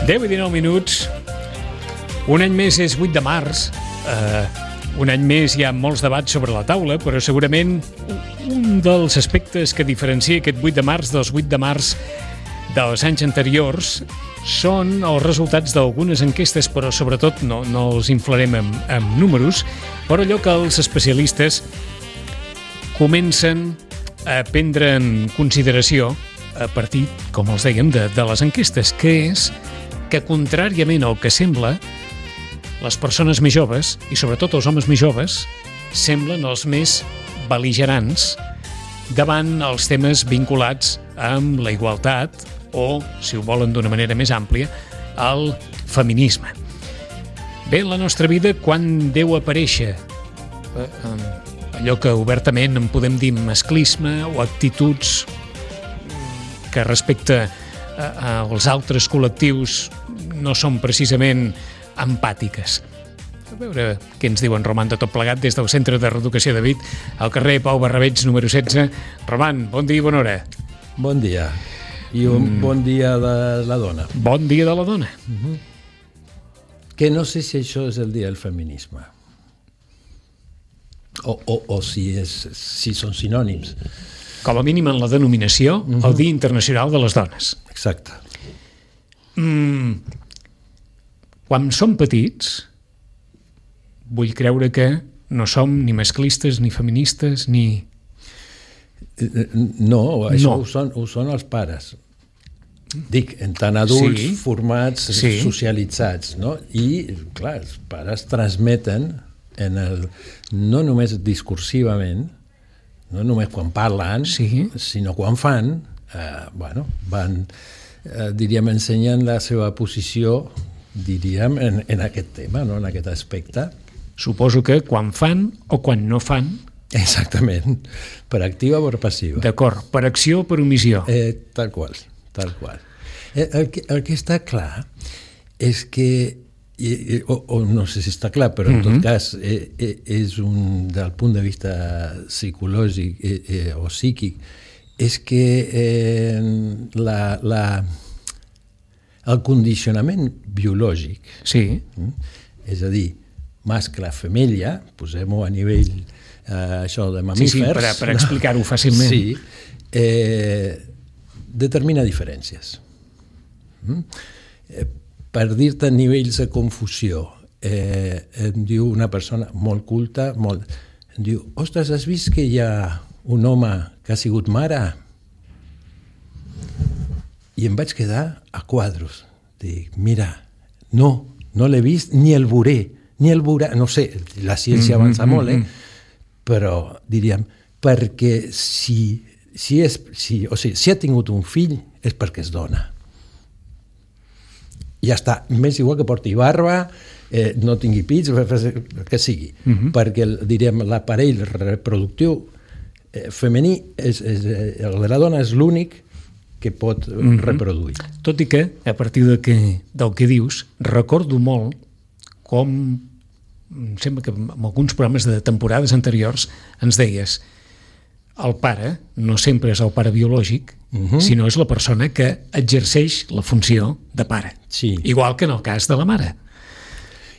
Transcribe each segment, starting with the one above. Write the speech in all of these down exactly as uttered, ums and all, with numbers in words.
deu i dinou minuts. Un any més és vuit de març. Uh, un any més hi ha molts debats sobre la taula, però segurament un dels aspectes que diferencia aquest vuit de març dels vuit de març dels anys anteriors són els resultats d'algunes enquestes, però sobretot no, no els inflarem amb, amb números, però allò que els especialistes comencen a prendre en consideració a partir, com els dèiem, de, de les enquestes, que és que, contràriament al que sembla, les persones més joves, i sobretot els homes més joves, semblen els més bel·ligerants davant els temes vinculats amb la igualtat o, si ho volen d'una manera més àmplia, al feminisme. Bé, en la nostra vida, quan deu aparèixer eh, allò que obertament en podem dir masclisme o actituds que respecte a, als altres col·lectius no són precisament empàtiques. A veure què ens diuen Roman de tot plegat des del Centre de Reeducació de Vic, al carrer Pau Barrabeig, número setze. Roman, bon dia i bona hora. Bon dia. I un mm. bon dia de la dona. Bon dia de la dona. Uh-huh. Que no sé si això és el dia del feminisme. O, o, o si, és, si són sinònims. Com a mínim en la denominació, uh-huh. el Dia Internacional de les Dones. Exacte. Mm, quan som petits, vull creure que no som ni masclistes, ni feministes, ni... No, això no. Ho, són, ho són els pares. Dic, en tant adults sí. formats, sí. socialitzats, no? I, clar, els pares transmeten en el, no només discursivament, no només quan parlen, sí. sinó quan fan, eh, bueno, van, eh, diríem, ensenyen la seva posició, diríem, en, en aquest tema, no? En aquest aspecte. Suposo que quan fan o quan no fan. Exactament, per activa o per passiva. D'acord, per acció o per omissió. Eh, tal qual, tal qual. Eh, el, que, el que està clar és que, i, o, o no sé si està clar, però en tot uh-huh. cas eh, eh, és un, del punt de vista psicològic eh, eh, o psíquic, és que eh, la, la, el condicionament biològic, sí. eh, és a dir, mascle-femella, posem-ho a nivell eh, això de mamífers... Sí, sí, per, per explicar-ho fàcilment. Sí, eh, determina diferències. Mm? Eh, per dir-te nivells de confusió, eh, em diu una persona molt culta, molt, em diu, ostres, has vist que hi ha un home que ha sigut mare? I em vaig quedar a quadros. Dic, mira, no, no l'he vist ni el veuré, ni el veurà, no sé, la ciència avança mm-hmm, molt, eh? Però diríem, perquè si, si, és, si, o sigui, si ha tingut un fill és perquè és dona. Ja està, m'és igual que porti barba, eh, no tingui pits, el que sigui, mm-hmm. perquè diríem, l'aparell reproductiu eh, femení, és, és, el de la dona és l'únic que pot mm-hmm. reproduir. Tot i que, a partir de que, del que dius, recordo molt com em sembla que en alguns programes de temporades anteriors ens deies el pare no sempre és el pare biològic, uh-huh. sinó és la persona que exerceix la funció de pare. Sí. Igual que en el cas de la mare.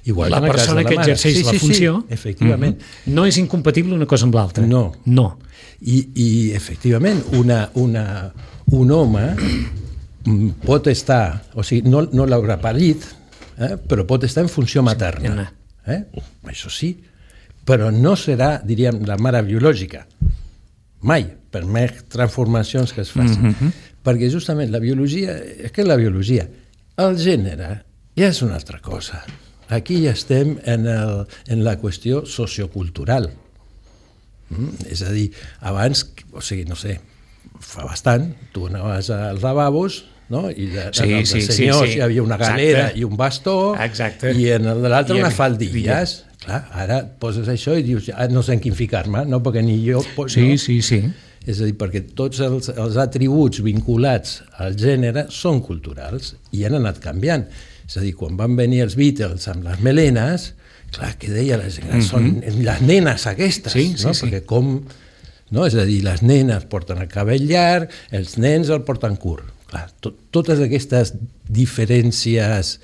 Igual la que persona que exerceix sí, la sí, funció sí, efectivament. Uh-huh. no és incompatible una cosa amb l'altra. No. no. I, i efectivament, una, una, un home pot estar, o sigui, no, no l'haurà parit, eh, però pot estar en funció materna. Eh? Això sí, però no serà, diríem, la mare biològica. Mai, per més transformacions que es facin. Mm-hmm. Perquè justament la biologia, és que la biologia, el gènere ja és una altra cosa. Aquí ja estem en, el, en la qüestió sociocultural. Mm? És a dir, abans, o sigui, no sé, fa bastant, tu anaves als lavabos, no? I de, sí, en el sí, de senyors sí, sí. hi havia una galera Exacte. I un bastó. Exacte. I en el de l'altre I una en... faldilles. I... Clar, ara poses això i dius, ah, no sé en quin ficar-me, no? Perquè ni jo... Sí, no? sí, sí. És a dir, perquè tots els, els atributs vinculats al gènere són culturals i han anat canviant. És a dir, quan van venir els Beatles amb les melenes, clar, que deia la gent, mm-hmm. són les nenes aquestes, sí, no? Sí, perquè com... No? És a dir, les nenes porten el cabell llarg, els nens el porten curt. clar, to, totes aquestes diferències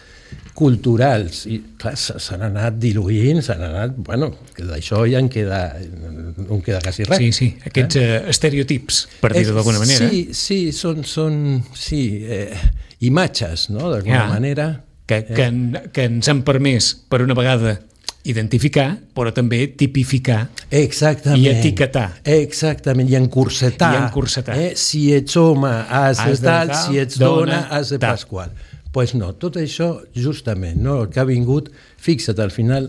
culturals i clar, s'han anat diluint, s'han anat, bueno, que d'això ja en queda, no en queda quasi res. Sí, sí, aquests eh? Uh, estereotips, per dir-ho d'alguna manera. Sí, sí, són, són sí, eh, imatges, no?, d'alguna ja, manera. Que, que, en, que ens han permès, per una vegada, identificar, però també tipificar. Exactament. I etiquetar. Exactament, i encursetar. I encursetar. Eh? Si ets home, has, has de tal, si ets dona, dona has de tal. Pasqual. Doncs pues no, tot això, justament, no? El que ha vingut, fixa't, al final,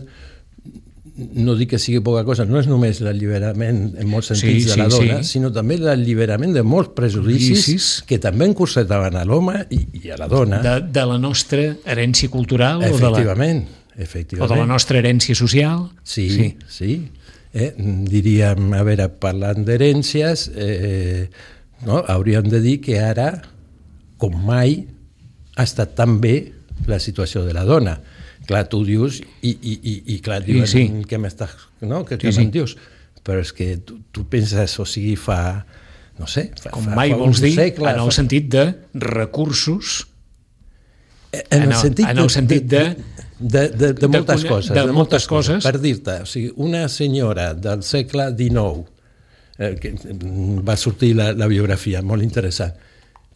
no dic que sigui poca cosa, no és només l'alliberament en molts sentits sí, de la sí, dona, sí. sinó també l'alliberament de molts prejudicis que també encursetaven a l'home i, i a la dona. De, de la nostra herència cultural? Efectivament. O de la... Efectivament. O de la nostra herència social? Sí, sí. sí. Eh, diríem, a veure, parlant d'herències, eh, no? hauríem de dir que ara, com mai, ha estat tan bé la situació de la dona. Clar, tu dius, i, i, i, i clar, diuen, sí, sí. què m'estàs... No? Què sí, sí. me'n dius? Però és que tu, tu penses, o sigui, fa... No sé, fa, com fa, mai fa vols dir, segle, en el fa... sentit de recursos... En el, en sentit, en el sentit de... De, de, de moltes de, coses. De, de moltes coses. Per dir-te, o sigui, una senyora del segle dinou, eh, que va sortir la, la biografia, molt interessant,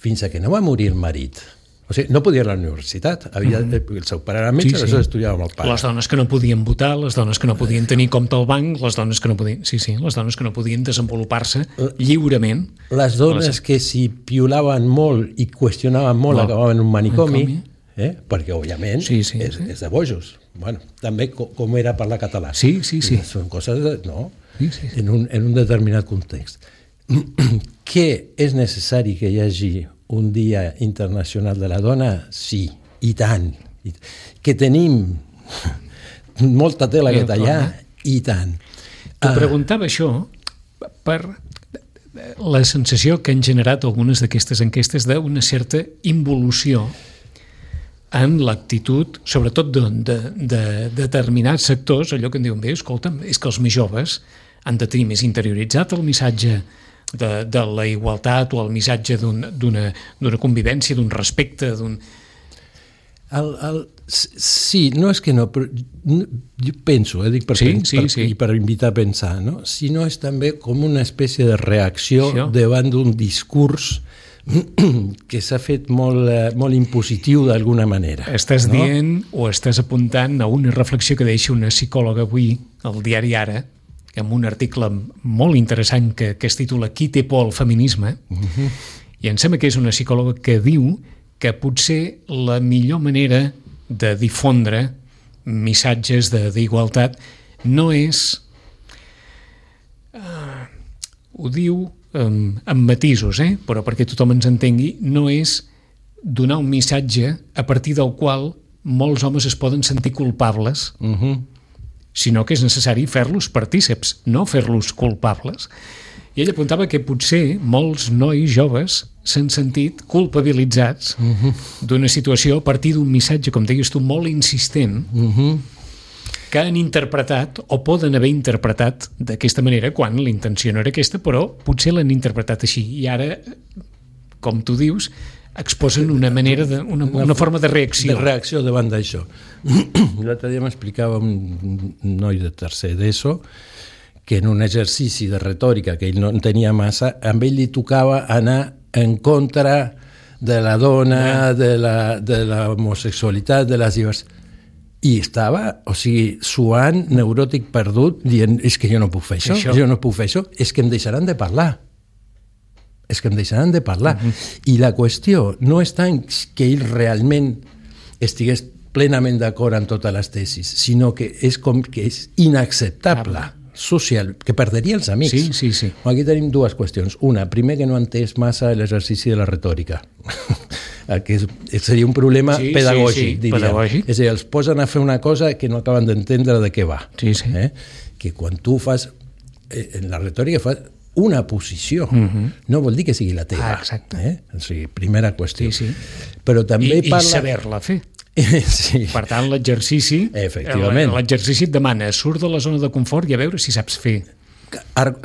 fins a que no va morir el marit. O sigui, no podia ir a la universitat. Havia, mm-hmm. El seu pare era metge, sí, sí. aleshores estudiava amb el pare. Les dones que no podien votar, les dones que no podien tenir compte al banc, les dones que no podien, sí, sí, les dones que no podien desenvolupar-se lliurement. Les dones les... que s'hi piolaven molt i qüestionaven molt no. acabaven en un manicomi. manicomi. Eh? Perquè, òbviament, sí, sí, és, sí. és de bojos. Bueno, també com, com era parlar català. Sí, sí, sí. Són coses, de, no? Sí, sí, sí. En, un, en un determinat context. Que és necessari que hi hagi un dia internacional de la dona? Sí, i tant. I, que tenim molta tela que tallar, i tant. T'ho preguntava això per la sensació que han generat algunes d'aquestes enquestes d'una certa involució en l'actitud, sobretot de, de, de determinats sectors, allò que en diuen, bé, escolta'm, és que els més joves han de tenir més interioritzat el missatge de, de la igualtat o el missatge d'una un, convivència, d'un respecte, d'un... El, el, sí, no és que no, però jo penso, eh, dic per, sí, pens, sí, per, sí. i per invitar a pensar, no? Sinó és també com una espècie de reacció sí, davant d'un discurs que s'ha fet molt, molt impositiu d'alguna manera. Estàs no? dient o estàs apuntant a una reflexió que deixa una psicòloga avui al diari Ara, amb un article molt interessant que, que es titula Qui té por al feminisme, uh-huh. i em sembla que és una psicòloga que diu que potser la millor manera de difondre missatges d'igualtat no és... Uh, ho diu... Um, amb matisos, eh? però perquè tothom ens entengui, no és donar un missatge a partir del qual molts homes es poden sentir culpables, uh-huh. sinó que és necessari fer-los partíceps, no fer-los culpables. I ell apuntava que potser molts nois joves s'han sentit culpabilitzats uh-huh. d'una situació a partir d'un missatge, com deies tu, molt insistent, uh-huh. que han interpretat o poden haver interpretat d'aquesta manera quan la intenció no era aquesta, però potser l'han interpretat així. I ara, com tu dius, exposen una manera de, una, una forma de reacció. De reacció davant d'això. L'altre dia m'explicava un noi de tercer d'ESO que en un exercici de retòrica que ell no en tenia massa, amb ell li tocava anar en contra de la dona, de la, de l'homosexualitat, de les diversitats. I estava, o sigui, suant, neuròtic perdut, dient, és que jo no puc fer això, això, jo no puc fer això, és que em deixaran de parlar. És que em deixaran de parlar. Uh-huh. I la qüestió no és tant que ell realment estigués plenament d'acord amb totes les tesis, sinó que és com que és inacceptable, social, que perderia els amics. Sí, sí, sí. Aquí tenim dues qüestions. Una, primer que no ha entès massa l'exercici de la retòrica, que és, seria un problema sí, pedagògic, sí, sí, diríem. Pedagògic. És a dir, els posen a fer una cosa que no acaben d'entendre de què va. Sí, sí. Eh? Que quan tu fas, eh, en la retòrica fas una posició, uh-huh. no vol dir que sigui la teva. Ah, exacte. Eh? O sigui, primera qüestió. Sí, sí. Però també I, parla... I saber-la fer. Sí. Per tant, l'exercici efectivament l'exercici et demana surt de la zona de confort i a veure si saps fer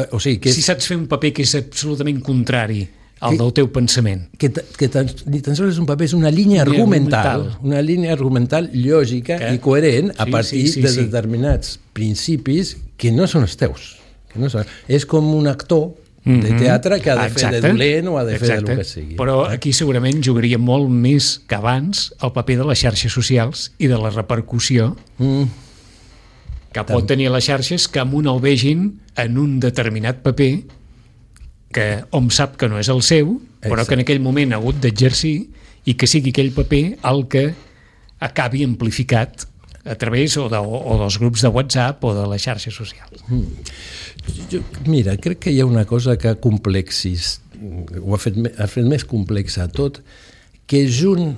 o sigui, que és... si saps fer un paper que és absolutament contrari el del teu pensament. Que, que tan, ni tan sols és un paper, és una línia argumental, argumental. Una línia argumental lògica que? I coherent a sí, partir sí, sí, de sí. determinats principis que no són els teus. Que no són. És com un actor de teatre que ha de Exacte. fer de dolent o ha de fer Exacte. del que sigui. Però aquí segurament jugaria molt més que abans el paper de les xarxes socials i de la repercussió mm. que Tant. pot tenir les xarxes que amb un el vegin en un determinat paper que hom sap que no és el seu, però Exacte. que en aquell moment ha hagut d'exercir i que sigui aquell paper el que acabi amplificat a través o, de, o dels grups de WhatsApp o de les xarxes socials. Mm. Jo, mira, crec que hi ha una cosa que ha complexis, ho ha fet, ha fet més complexa tot, que junt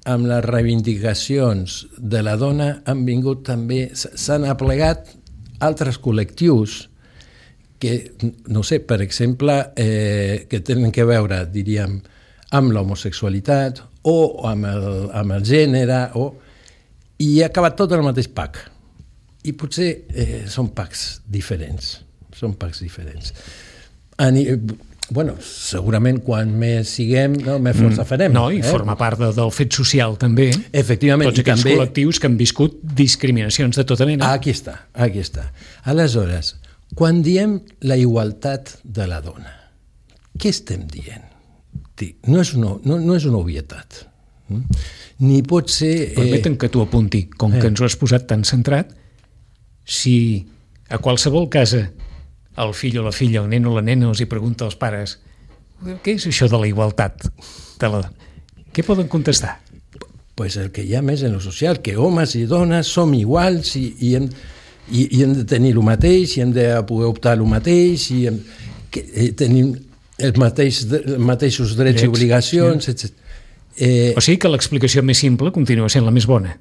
amb les reivindicacions de la dona han vingut també, s'han aplegat altres col·lectius que, no sé, per exemple, eh, que tenen que veure, diríem, amb l'homosexualitat o amb el, amb el gènere, o, i ha acabat tot en el mateix pack. I potser eh, són packs diferents, són packs diferents. Ani, bueno, segurament quan més siguem, no, més força farem. No, i eh? forma part de, del fet social també. Efectivament. Tots aquells també... col·lectius que han viscut discriminacions de tota mena. Aquí està, aquí està. Aleshores, quan diem la igualtat de la dona, què estem dient? No és una, no, no és una obvietat. Ni pot ser... Permeten que t'ho apunti, com eh. que ens ho has posat tan centrat, si a qualsevol casa el fill o la filla, el nen o la nena els hi pregunta als pares què és això de la igualtat de la... què poden contestar? Pues el que hi ha més en lo social, que homes i dones som iguals i, i, hem, i, i hem de tenir el mateix, i hem de poder optar el mateix, i hem, que, eh, tenim els, mateix, els mateixos drets, drets i obligacions, sí. etcètera. Eh, o sigui que l'explicació més simple continua sent la més bona.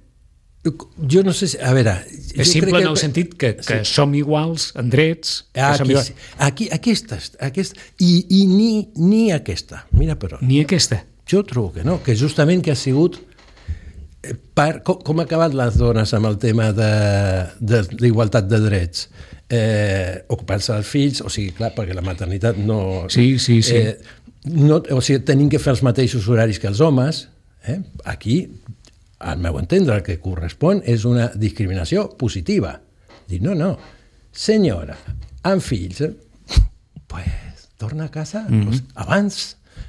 Jo no sé si... A veure... És simple en el que... sentit que, que sí. som iguals en drets... Aquí, iguals. aquí, aquesta, aquesta i, i ni, ni aquesta. Mira per on. Ni aquesta. Jo trobo que no, que justament que ha sigut... Per, com, com ha acabat les dones amb el tema de, de, d'igualtat de drets? Eh, ocupar-se dels fills, o sigui, clar, perquè la maternitat no... Sí, sí, sí. Eh, no, o sigui, tenim que fer els mateixos horaris que els homes. Eh? Aquí... al meu entendre, el que correspon és una discriminació positiva. Dir, no, no, senyora, amb fills, eh, pues, torna a casa mm-hmm. pues, abans,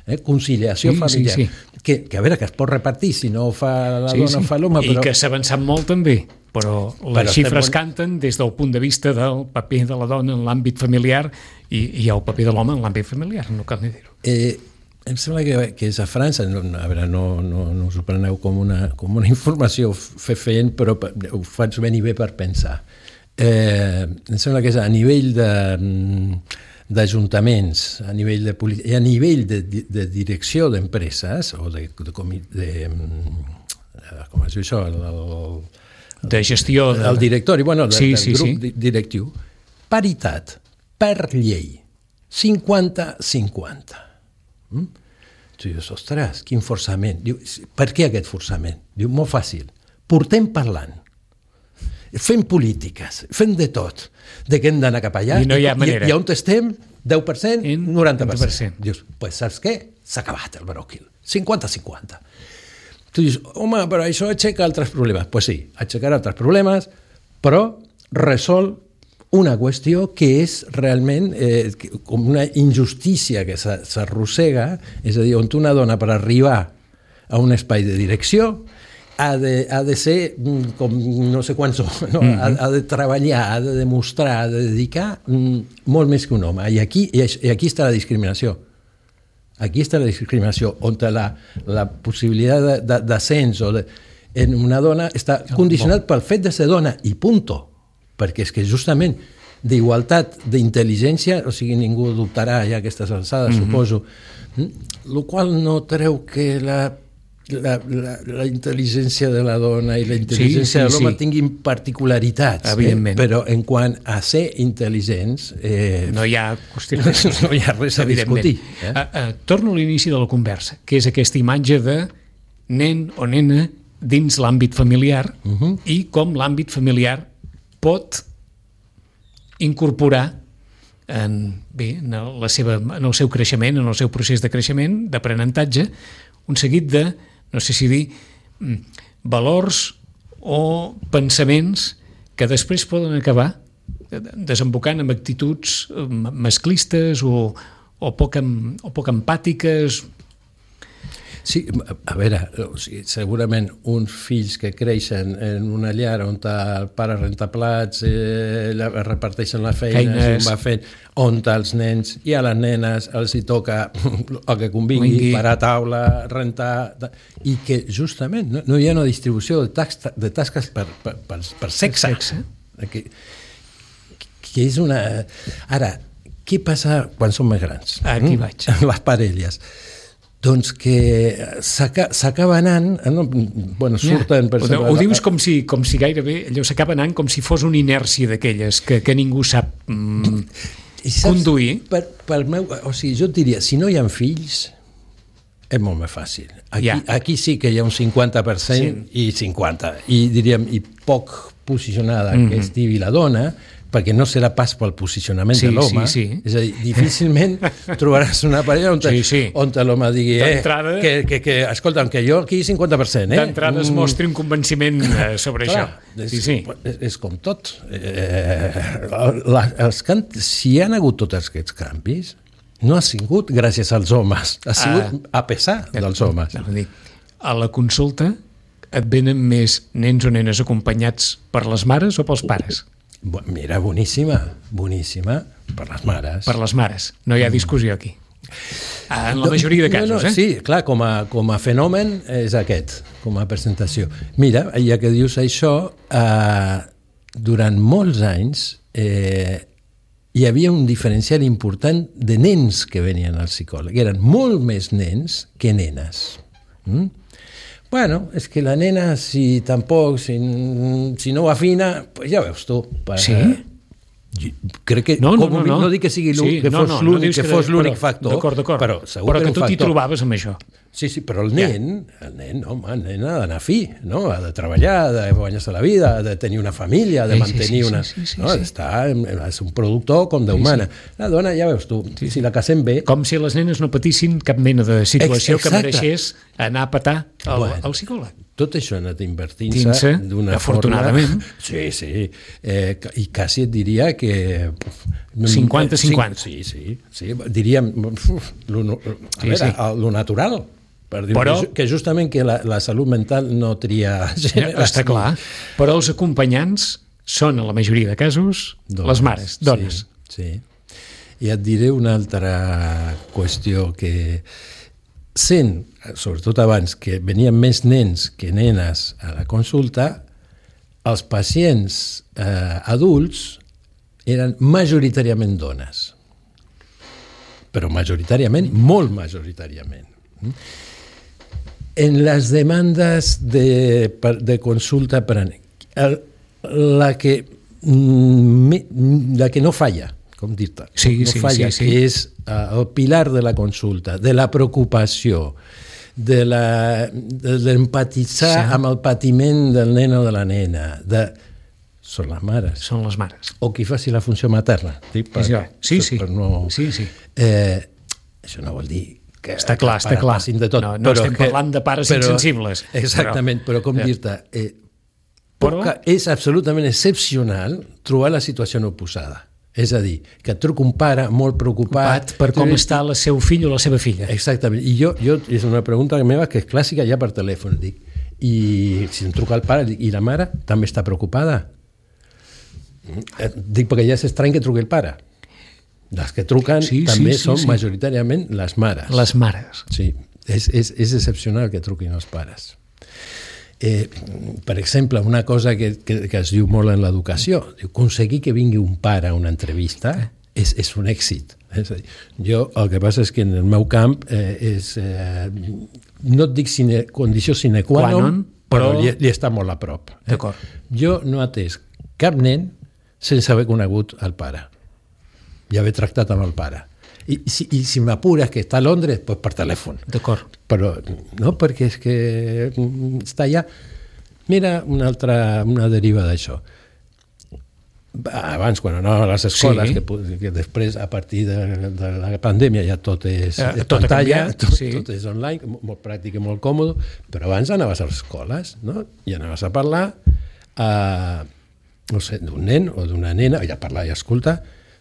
eh, conciliació sí, familiar. Sí, sí. Que, que a veure, que es pot repartir, si no fa la sí, dona, sí. fa l'home. Però... I que s'ha avançat molt també, però les però xifres estem... canten des del punt de vista del paper de la dona en l'àmbit familiar i, i el paper de l'home en l'àmbit familiar, no cal ni dir-ho. Eh, Em sembla que, que és a França, no, a veure, no, no, no us ho preneu com una, com una informació fent, però ho faig ben i bé per pensar. Eh, em sembla que és a nivell de, d'ajuntaments, a nivell de política, i a nivell de, de direcció d'empreses, o de, de, de, de com es diu això? El, el, de gestió. De... El directori, bueno, de, sí, del sí, grup sí. directiu. Paritat, per llei, cinquanta cinquanta. Mm? Tu dius, ostres, quin forçament. Diu, per què aquest forçament? Diu, molt fàcil. Portem parlant. Fem polítiques, fem de tot. De què hem d'anar cap allà? I no hi ha manera. I, i on estem? deu per cent, noranta per cent. noranta per cent. Dius, pues saps què? S'ha acabat el bròquil. cinquanta cinquanta. Tu dius, home, però això aixeca altres problemes. Doncs pues sí, aixecarà altres problemes, però resol una qüestió que és realment eh, com una injustícia que s'arrossega, és a dir, on una dona per arribar a un espai de direcció ha de, ha de ser com no sé quants, no? Mm-hmm. ha, ha de treballar, ha de demostrar, ha de dedicar mm, molt més que un home. I aquí, i aquí està la discriminació. Aquí està la discriminació, on la, la possibilitat d'ascens o de, en una dona està condicionat pel fet de ser dona, i punto. Perquè és que justament d'igualtat d'intel·ligència, o sigui, ningú dubtarà ja aquestes alçades, mm-hmm. suposo, el qual no treu que la, la, la, la intel·ligència de la dona i la intel·ligència sí, sí, de l'home sí. tinguin particularitats, eh? Però en quant a ser intel·ligents eh, no hi ha qüestions, no hi ha res a discutir. Eh? Uh, uh, torno a l'inici de la conversa, que és aquesta imatge de nen o nena dins l'àmbit familiar uh-huh. i com l'àmbit familiar pot incorporar en, bé, en, la seva, en el seu creixement, en el seu procés de creixement, d'aprenentatge, un seguit de, no sé si dir, valors o pensaments que després poden acabar desembocant en actituds masclistes o, o, poc, o poc empàtiques. Sí, a veure, o sigui, segurament uns fills que creixen en una llar on el pare renta plats, eh, reparteixen la feina, si va fent, on els nens i a les nenes els hi toca el que convingui, Vingui. parar taula, rentar, i que justament no, no hi ha una distribució de, tax, de tasques per, per, per, per sexe. Per sexe. Que, que és una... Ara, què passa quan som més grans? Aquí mm? vaig. Les parelles. Doncs que s'acaba anant, no? Bueno, surten... Ja, per ho, ho dius com si, com si gairebé allò s'acaba anant com si fos una inèrcia d'aquelles que, que ningú sap mm, conduir. Per, per meu, o sigui, jo et diria, si no hi ha fills, és molt més fàcil. Aquí, ja. aquí sí que hi ha un cinquanta per cent sí. i cinquanta, i diríem, i poc posicionada mm-hmm. que estigui la dona, perquè no serà pas pel posicionament sí, de l'home. Sí, sí. És a dir, difícilment trobaràs una parella on, sí, sí. on l'home digui eh, que, que, que, escolta'm, que jo aquí cinquanta per cent. Eh? D'entrada es mostri un convenciment sobre Clar, això. És, sí, sí. És, és com tot. Eh, la, els can... Si hi ha hagut tots aquests canvis, no ha sigut gràcies als homes, ha sigut ah, a pesar dels homes. A la consulta et venen més nens o nenes acompanyats per les mares o pels pares? Mira, boníssima, boníssima, per les mares. Per les mares, no hi ha discussió aquí. En la majoria de casos, no, no, eh? Sí, clar, com a, com a fenomen és aquest, com a presentació. Mira, ja que dius això, eh, durant molts anys eh, hi havia un diferencial important de nens que venien al psicòleg. Eren molt més nens que nenes. Mm? Bueno, és que la nena, si tampoc, si, si no ho afina, pues ja veus tu. Per, sí? Crec que, no, no, com no, no. no dic que sigui l'únic, sí, que fos no, no, l'únic, no que fos l'únic factor, d'acord, d'acord. però segur però que, que tu t'hi trobaves amb això. Sí, sí, però el nen, ja. el nen, home, el nen ha d'anar fi, no? Ha de treballar, ha de guanyar-se la vida, ha de tenir una família, ha de mantenir sí, sí, una... Sí, sí, sí, no? sí. Està, és un productor com d'humana. Sí, sí. La dona, ja veus tu, sí. si la casem bé... Com si les nenes no patissin cap mena de situació Exacte. que mereixés anar a petar al, bueno, al psicòleg. Tot això ha anat invertint-se d'una afortunadament. forma... Sí, sí. Eh, I quasi et diria que... cinquanta cinquanta. Sí, sí. sí. Diríem, uf, lo, a sí, veure, sí. lo natural, per dir Però, que justament que la, la salut mental no tria gènere. Està clar. Però els acompanyants són, a la majoria de casos, dones, les mares, dones. Sí, sí. I et diré una altra qüestió que... Sent, sobretot abans, que venien més nens que nenes a la consulta, els pacients eh, adults eren majoritàriament dones. Però majoritàriament, molt majoritàriament. En les demandes de, de consulta per a el, la, que, la que no falla, com dir-te, sí, no sí, falla, sí, sí. que és uh, el pilar de la consulta, de la preocupació, de l'empatitzar sí. amb el patiment del nen o de la nena, de... són les mares. Són les mares. O qui faci la funció materna. Dic, per, sí, sí. Per no... sí, sí. Eh, això no vol dir que està clar, està clar. De tot, no, no però estem que, parlant de pares però, insensibles. Exactament, però, però com ja. dir-te... Eh, poca, és absolutament excepcional trobar la situació oposada. És a dir, que et truca un pare molt preocupat... per com tu... està el seu fill o la seva filla. Exactament. I jo, jo és una pregunta meva que és clàssica ja per telèfon. Dic, i si em truca el pare, dic, i la mare també està preocupada? Dic, perquè ja és estrany que truqui el pare. Les que truquen sí, també sí, sí, són sí. majoritàriament les mares. Les mares. Sí, és, és, és excepcional que truquin els pares. Eh, per exemple, una cosa que, que, que es diu molt en l'educació, aconseguir que vingui un pare a una entrevista és, és un èxit. És a dir, jo el que passa és que en el meu camp eh, és, eh, no et dic sine, condició sine qua non, però, però li, li està molt a prop. Eh? Jo no he atès cap nen sense haver conegut el pare i haver tractat amb el pare. I si, i si m'apures que està a Londres, doncs per telèfon. D'acord. Però no, perquè és que està allà. Mira una altra una deriva d'això. abans, quan anava a les escoles, Sí. que, que després, a partir de, de la pandèmia, ja tot és Eh, eh, tot ha pantalla, canviat, tot, sí. tot és online, molt, molt pràctic i molt còmode, però abans anaves a les escoles, no? I anaves a parlar a, no sé, d'un nen o d'una nena, i a parlar i escoltar,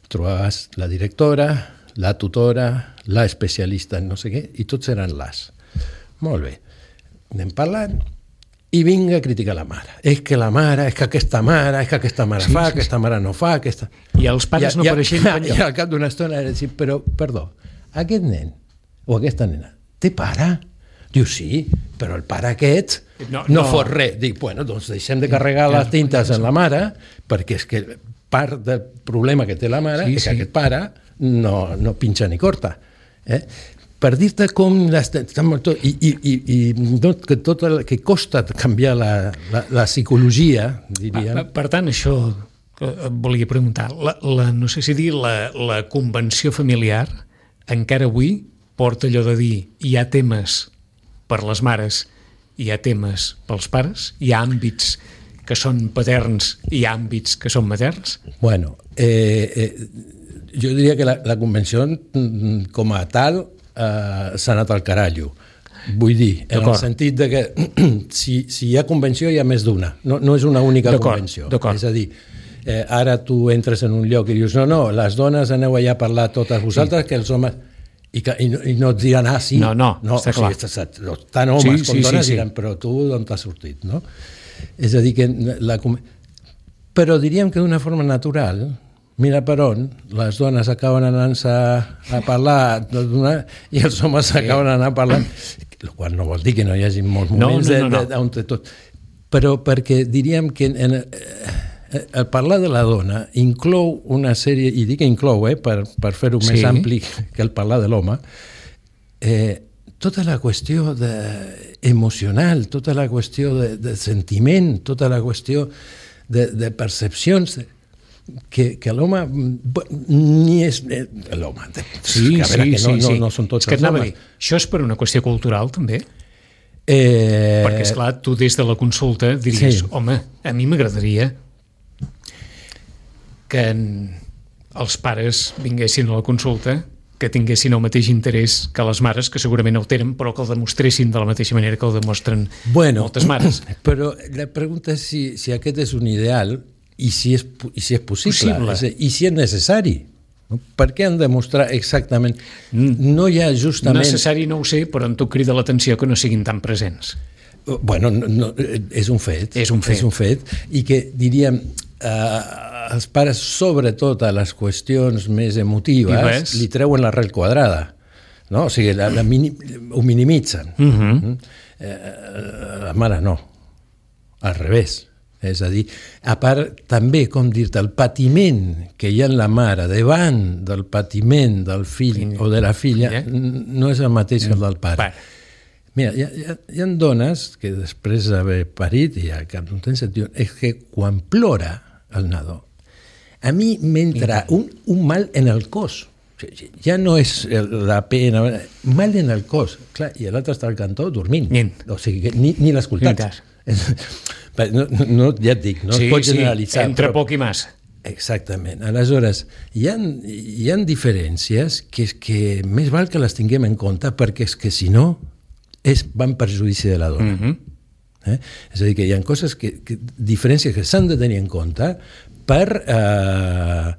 trobaves la directora, la tutora, la especialista en no sé què, i tots eren les. Molt bé. Anem parlant, i vinga a criticar la mare. És que la mare, és que aquesta mare, és que aquesta mare Sí, fa, sí, sí. aquesta mare no fa, aquesta... I els pares no apareixen I, enlloc. I al cap d'una estona era dir, però, perdó, aquest nen o aquesta nena té pare? Diu, sí, però el pare aquest No, no, no no. fot res. Dic, bueno, doncs deixem de carregar les tintes en la mare, perquè és que part del problema que té la mare Sí, és que sí. aquest pare no, no pinxa ni corta. Eh? Per dir-te com les, i, i, i, i no, que, tot el, que costa canviar la, la, la psicologia, diríem. Per, per tant, això que et volia preguntar, la, la, no sé si dir, la, la convenció familiar encara avui porta allò de dir hi ha temes per les mares, hi ha temes pels pares, hi ha àmbits que són paterns i hi ha àmbits que són materns? Bueno, eh, eh, jo diria que la, la convenció com a tal eh, s'ha anat al carallo. Vull dir, en el sentit de que si, si hi ha convenció hi ha més d'una, no, no és una única convenció. És a dir, eh, ara tu entres en un lloc i dius no, no, les dones aneu allà a parlar totes vosaltres, sí. que els homes... I, que, i, no, i no et diran, ah, sí, no, no, no està o clar. sigui, tant homes sí, com sí, dones sí, sí. diran, però tu d'on t'has sortit, no? És a dir, que la... Però diríem que d'una forma natural, mira per on, les dones acaben anant-se a parlar i els homes sí. acaben anant a parlar, el qual no vol dir que no hi hagi molts moments no, no, no, no. on tot... Però perquè diríem que en, eh, el parlar de la dona inclou una sèrie, i dic que inclou, eh, per, per fer-ho sí. més ampli que el parlar de l'home, eh, tota la qüestió de, emocional, tota la qüestió de, de sentiment, tota la qüestió de, de percepcions que, que l'home ni és l'home sí, que, a veure, sí, que no, sí, no, sí. no són tots és que els homes. Dir, això és per una qüestió cultural també? Eh... Perquè esclar, tu des de la consulta diries, sí. home, a mi m'agradaria que els pares vinguessin a la consulta, que tinguessin el mateix interès que les mares, que segurament el tenen, però que el demostressin de la mateixa manera que el demostren bueno, moltes mares. Però la pregunta és si, si aquest és un ideal i si és, i si és possible, possible. És, i si és necessari. Per què han de mostrar exactament? No hi ha justament... Necessari no ho sé, però en tot crida l'atenció que no siguin tan presents. Bueno, no, no, és un fet. És un fet. És un fet. I que, diríem, eh, els pares, sobretot a les qüestions més emotives, li treuen l'arrel quadrada. No? O sigui, la, la mini, ho minimitzen. Uh-huh. eh, la mare no. Al revés. És a dir, a part, també, com dir-te, el patiment que hi ha en la mare davant del patiment del fill sí. o de la filla yeah. no és el mateix que el del pare. pare. Mira, hi ha, hi, ha, hi ha dones que després d'haver parit i al cap d'un temps et diuen és que quan plora el nadó, a mi m'entra un, un mal en el cos. Ja no és la pena, mal en el cos. Clar, i l'altre està al cantó dormint. Nint. O sigui, que ni, ni l'ha escoltat. No, no, ja et dic, no sí, es pot generalitzar. Sí, entre però... poc i massa. Exactament. Aleshores, hi ha, hi ha diferències que, que més val que les tinguem en compte perquè és que si no és, va en perjudici de la dona. Mm-hmm. eh? És a dir, que hi ha coses, que, que, diferències que s'han de tenir en compte per, eh,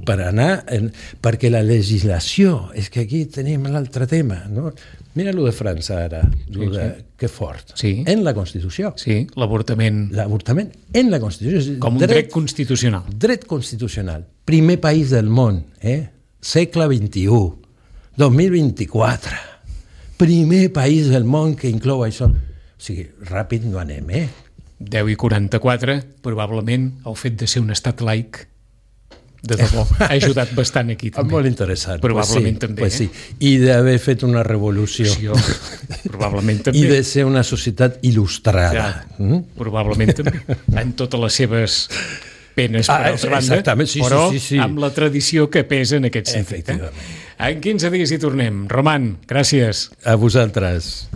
per anar... En, perquè la legislació, és que aquí tenim l'altre tema, no? Mira-lo de França ara, sí, de, sí. que fort. Sí. En la Constitució. Sí, l'avortament. L'avortament en la Constitució. Com un dret, dret constitucional. Dret constitucional. Primer país del món, eh? Segle vint-i-u, dos mil vint-i-quatre. Primer país del món que inclou això. O sigui, ràpid no anem, eh? deu i quaranta-quatre, probablement el fet de ser un estat laic de debò, ha ajudat bastant aquí també. Molt interessant. Probablement pues sí, també. Pues eh? sí. I d'haver fet una revolució. Sí, probablement també. I de ser una societat il·lustrada. Ja, mm? Probablement també. En totes les seves penes per ah, altra banda, sí, però sí, sí, sí. amb la tradició que pesa en aquest sentit. Eh? En quinze dies hi tornem. Roman, gràcies. A vosaltres.